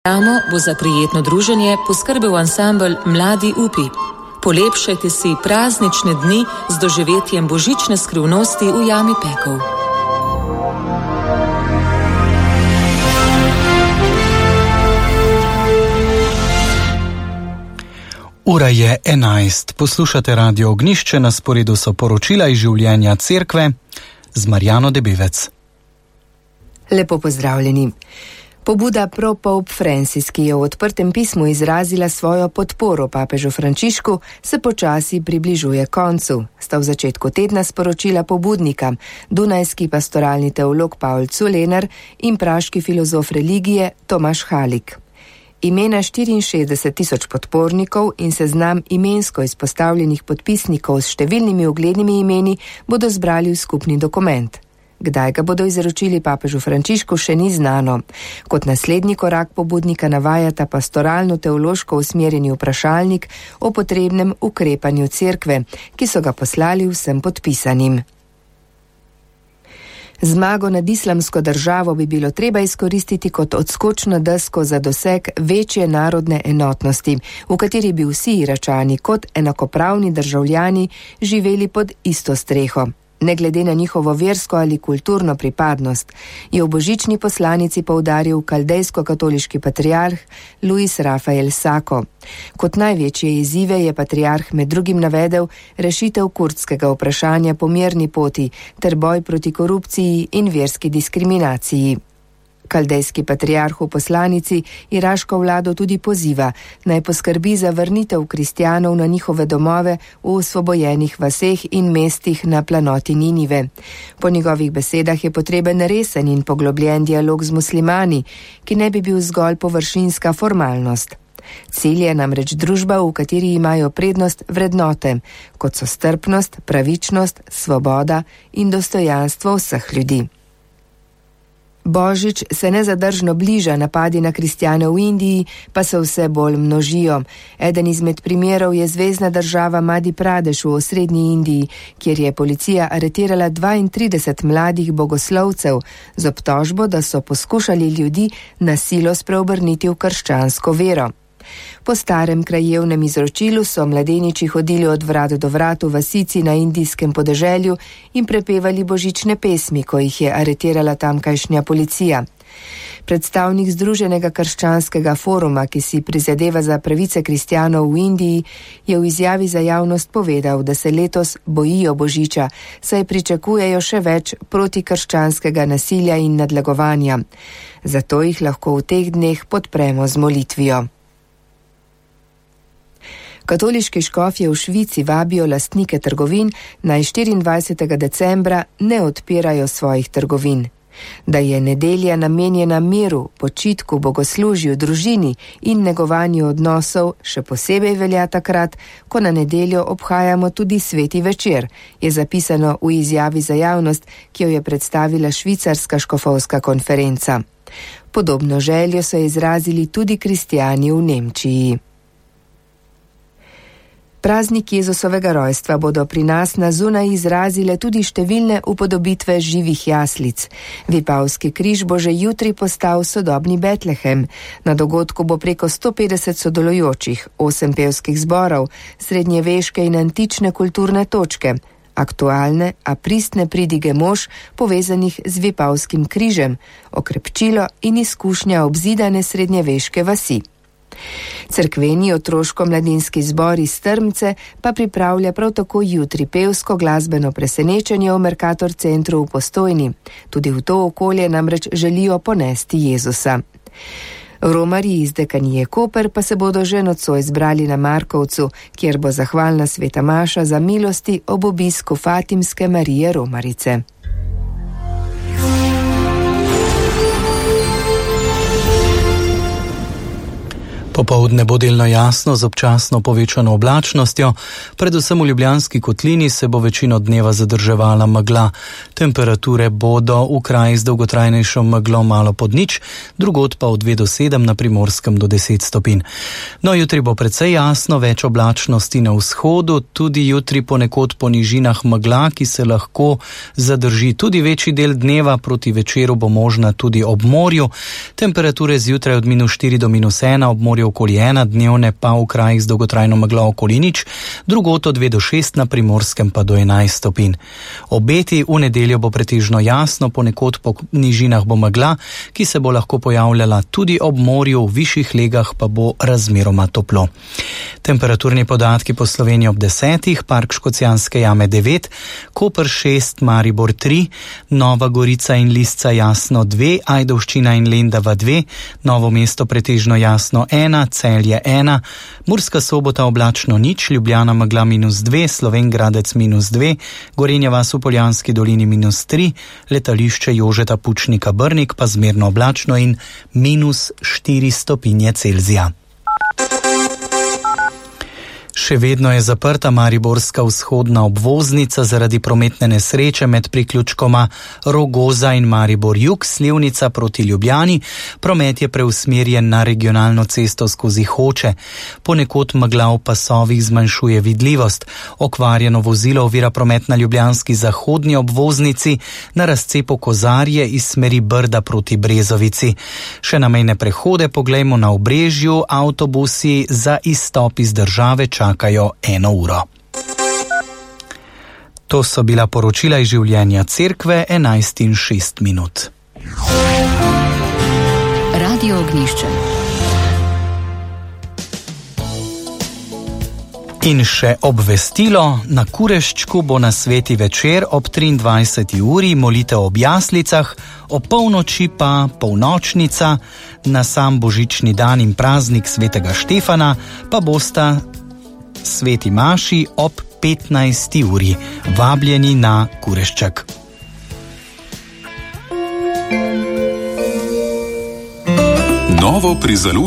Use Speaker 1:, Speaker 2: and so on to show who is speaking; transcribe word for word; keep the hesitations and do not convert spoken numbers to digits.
Speaker 1: Ramo bo za prijetno druženje poskrbel ansambel Mladi upi. Polepšajte si praznične dni z doživetjem božične skrivnosti v jami Pekov.
Speaker 2: Ura je enajst. Poslušate Radio Ognjišče, na sporedu so poročila iz življenja cerkve z Marjano Debevec.
Speaker 3: Lepo pozdravljeni. Pobuda Pro Pope Francis, ki je v odprtem pismu izrazila svojo podporo papežu Frančišku, se počasi približuje koncu. Sta v začetku tedna sporočila pobudnika, dunajski pastoralni teolog Paul Culenar in praški filozof religije Tomaš Halik. Imena štiriinšestdeset tisoč podpornikov in seznam imensko izpostavljenih podpisnikov s številnimi uglednimi imeni bodo zbrali v skupni dokument. Kdaj ga bodo izročili papežu Frančišku, še ni znano. Kot naslednji korak pobudnika navajata pastoralno-teološko usmerjeni vprašalnik o potrebnem ukrepanju cerkve, ki so ga poslali vsem podpisanim. Zmago nad islamsko državo bi bilo treba izkoristiti kot odskočno desko za doseg večje narodne enotnosti, v kateri bi vsi Iračani kot enakopravni državljani živeli pod isto streho. Ne glede na njihovo versko ali kulturno pripadnost, je v božični poslanici poudaril kaldejsko-katoliški patriarh Luis Rafael Sako. Kot največje izzive je patriarh med drugim navedel rešitev kurdskega vprašanja po mirni poti ter boj proti korupciji in verski diskriminaciji. Kaldejski patriarh v poslanici iraško vlado tudi poziva, naj poskrbi za vrnitev kristjanov na njihove domove v osvobojenih vaseh in mestih na planoti Ninive. Po njegovih besedah je potreben resen in poglobljen dialog z muslimani, ki ne bi bil zgolj površinska formalnost. Cilj je namreč družba, v kateri imajo prednost vrednote, kot so strpnost, pravičnost, svoboda in dostojanstvo vseh ljudi. Božič se nezadržno bliža, napadi na kristjane v Indiji pa se vse bolj množijo. Eden izmed primerov je zvezna država Madhja Pradeš v osrednji Indiji, kjer je policija aretirala dvaintrideset mladih bogoslovcev z obtožbo, da so poskušali ljudi na silo spreobrniti v krščansko vero. Po starem krajevnem izročilu so mladeniči hodili od vrat do vrat v vasici na indijskem podeželju in prepevali božične pesmi, ko jih je aretirala tamkajšnja policija. Predstavnik Združenega krščanskega foruma, ki si prizadeva za pravice kristjanov v Indiji, je v izjavi za javnost povedal, da se letos bojijo božiča, saj pričakujejo še več protikrščanskega nasilja in nadlegovanja. Zato jih lahko v teh dneh podpremo z molitvijo. Katoliški škofje v Švici vabijo lastnike trgovin, naj štiriindvajsetega decembra ne odpirajo svojih trgovin. Da je nedelja namenjena miru, počitku, bogoslužju, družini in negovanju odnosov, še posebej velja takrat, ko na nedeljo obhajamo tudi sveti večer, je zapisano v izjavi za javnost, ki jo je predstavila švicarska škofovska konferenca. Podobno željo so izrazili tudi kristjani v Nemčiji. Praznik Jezusovega rojstva bodo pri nas na zunaj izrazile tudi številne upodobitve živih jaslic. Vipavski križ bo že jutri postal sodobni Betlehem. Na dogodku bo preko sto petdeset sodelujočih, osem pevskih zborov, srednjeveške in antične kulturne točke, aktualne, a pristne pridige mož povezanih z Vipavskim križem, okrepčilo in izkušnja obzidane srednjeveške vasi. Cerkveni otroško-mladinski zbor iz Strmce pa pripravlja prav tako jutri pevsko glasbeno presenečenje v Mercator centru v Postojni. Tudi v to okolje namreč želijo ponesti Jezusa. Romarji iz dekanije Koper pa se bodo že nocoj zbrali na Markovcu, kjer bo zahvalna sveta maša za milosti ob obisku Fatimske Marije Romarice.
Speaker 2: Popoldne bo delno jasno z občasno povečano oblačnostjo, predvsem v Ljubljanski kotlini se bo večino dneva zadrževala megla. Temperature bodo v krajih z dolgotrajnejšo meglo malo pod nič, drugod pa od dve do sedem, na Primorskem do deset stopinj. No, jutri bo precej jasno, več oblačnosti na vzhodu, tudi jutri ponekod po nižinah megla, ki se lahko zadrži tudi večji del dneva, proti večeru bo možna tudi ob morju. Temperature zjutraj od minus štiri do minus ena, ob morju okoli ena, dnevne pa v krajih z dolgotrajno meglo okoli nič, drugod od dve do šest, na Primorskem pa do enajst stopinj. Obeti v nedeljo bo pretežno jasno, ponekod po nižinah bo megla, ki se bo lahko pojavljala tudi ob morju, v višjih legah pa bo razmeroma toplo. Temperaturni podatki po Sloveniji ob desetih, Park Škocjanske jame devet, Koper šest, Maribor tri, Nova Gorica in Lisca jasno dve, Ajdovščina in Lendava dve, Novo mesto pretežno jasno ena, Celje ena, Murska Sobota oblačno nič, Ljubljana megla minus dve, Slovenj Gradec minus dve, Gorenja vas v Poljanski dolini minus tri, letališče Jožeta Pučnika Brnik pa zmerno oblačno in minus štiri stopinje Celzija. Še vedno je zaprta mariborska vzhodna obvoznica zaradi prometne nesreče med priključkoma Rogoza in Maribor jug, Slivnica proti Ljubljani. Promet je preusmerjen na regionalno cesto skozi Hoče. Ponekod megla v pasovih zmanjšuje vidljivost. Okvarjeno vozilo ovira promet na ljubljanski zahodni obvoznici na razcepu Kozarje iz smeri Brda proti Brezovici. Še na mejne prehode poglejmo na Obrežju, avtobusi za izstop iz države čakajo eno uro. To so bila poročila iz življenja cerkve, enajst in šest minut.
Speaker 4: Radio Ognjišče.
Speaker 2: In še obvestilo, na Kureščku bo na sveti večer ob triindvajseti uri molitev ob jaslicah, ob polnoči pa polnočnica, na sam božični dan in praznik svetega Štefana pa bosta sveti maši ob petnajsti uri. Vabljeni na Kurešček.
Speaker 5: Novo pri založbi